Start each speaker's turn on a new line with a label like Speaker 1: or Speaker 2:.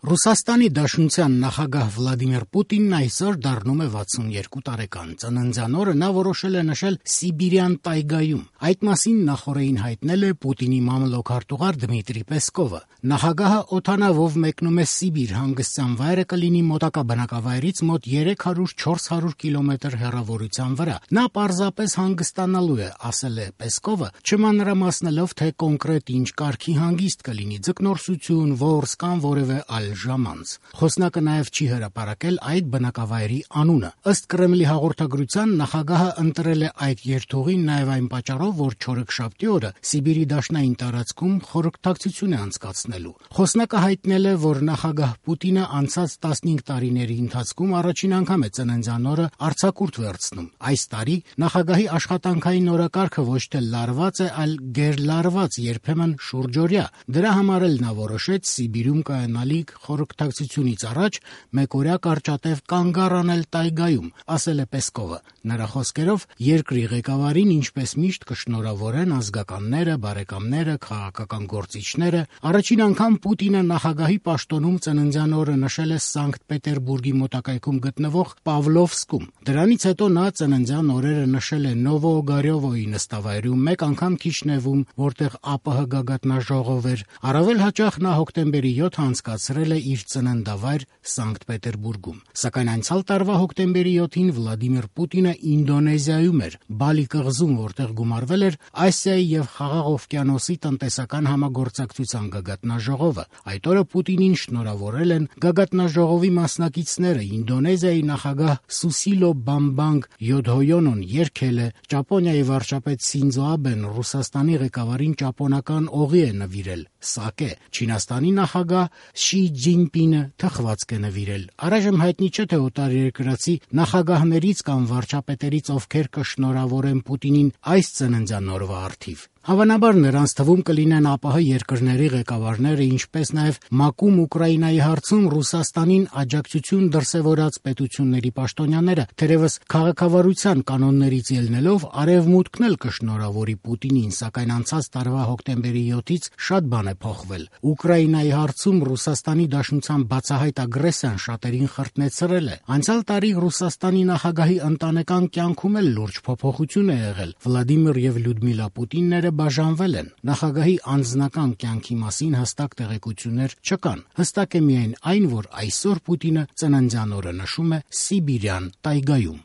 Speaker 1: Ռուսաստանի Դաշնության նախագահ Վլադիմիր Պուտինն այսօր դառնում է 62 տարեկան։ Ծննդյան օրը նա որոշել է նշել Սիբիրյան տայգայում։ Այդ մասին նախօրեին հայտնել է Պուտինի մամլոք-արտուղար Դմիտրի Պեսկովը։ Նախագահը օդանավով մեկնում է Սիբիր, հանգստյան վայրը կլինի մոտակա բնակավայրից մոտ 300-400 կիլոմետր հեռավորության վրա։ Նա պարզապես հանգստանալու է, ասել է Պեսկովը, չմանրամասնելով, թե կոնկրետ ինչ կարգի հանգիստ կլինի՝ ձկնորսություն, որս կամ որևէ այլ ժամանց։ Խոսնակը նաև չի հրապարակել այդ բնակավայրի անունը։ Ըստ Կրեմլի հաղորդագրության, նախագահը ընտրել է այդ երթուղին նաև այն պատճառով, որ չորեքշաբթի օրը Սիբիրի դաշնային տարածքում խորհրդակցություն է անցկացնելու։ Խոսնակը հայտնել է, որ նախագահ Պուտինը անցած 15 տարիների ընթացքում առաջին անգամ է ծննդյան օրը արձակուրդ վերցնում։ Այս տարի նախագահի աշխատանքային օրակարգը ոչ թե լարված է, այլ գերլարված, երբեմն շուրջօրյա։ Դրա համար էլ նա որոշեց Սիբիրում կայանալիք խորհրդակցությունից առաջ մեկօրյա կարճատև կանգ առնել տայգայում, ասել է Պեսկովը։ Նրա խոսքերով, երկրի ղեկավարին ինչպես միշտ կշնորհավորեն ազգականները, բարեկամները, քաղաքական գործիչները։ Առաջին անգամ Պուտինը նախագահի պաշտոնում ծննդյան օրը նշել է Սանկտ Պետերբուրգի մոտակայքում գտնվող Պավլովսկում։ Դրանից հետո նա ծննդյան օրերը նշել է Նովոօգարյովոյի նստավայրում, մեկ անգամ Քիշնևում, որտեղ ԱՊՀ գագաթնաժողով էր։ Առավել հաճախ նա հոկտեմբերի 7-ը անցկացրել է իր ծննդավայր Սանկտ Պետերբուրգում։ Սակայն անցյալ տարվա հոկտեմբերի 7-ին Վլադիմիր Պուտինը Ինդոնեզիայում էր, Բալի կղզում, որտեղ գումարվել էր Ասիայի եւ Խաղաղ օվկիանոսի տնտեսական համագործակցության գագաթնաժողովը։ Այդ օրը Պուտինին շնորհավորել են գագաթնաժողովի մասնակիցները։ Ինդոնեզիայի նախագահ Սուսիլո Բամբանգ Յոդհոյոնոն երգել է, Ճապոնիայի վարչապետ Սինձո Աբեն Ռուսաստանի ղեկավարին ճապոնական օղի է նվիրել՝ սակե։ Չինաստանի նախագահ Շի Ջինպինը թխվածք է նվիրել։ Առայժմ հայտնի չէ, թե օտարերկրացի նախագահներից կամ վարչապետերից ովքեր կշնորհավորեն Պուտինին այս ծննդյան օրվա առթիվ։ Հավանաբար նրանց թվում կլինեն ԱՊՀ երկրների ղեկավարները, ինչպես նաև ՄԱԿ-ում Ուկրաինայի հարցում Ռուսաստանին աջակցություն դրսևորած պետությունների պաշտոնյաները։ Թերևս քաղաքավարության կանոններից ելնելով Արևմուտքն էլ կշնորհավորի Պուտինին, սակայն անցած տարվա հոկտեմբերի 7-ից շատ բան է փոխվել։ Ուկրաինայի հարցում Ռուսաստանի Դաշնության բացահայտ ագրեսիան շատերին խրտնեցրել է։ Անցյալ տարի Ռուսաստանի նախագահի ընտանեկան կյանքում էլ լուրջ փոփոխություն է եղել։ Վլադիմիր եւ Լյուդմիլա Պուտինները բաժանվել են։ Նախագահի անձնական կյանքի մասին հստակ տեղեկություններ չկան։ Հստակ է միայն այն, որ այսօր Պուտինը ծննդյան օրը նշում է Սիբիրյան տայգայում։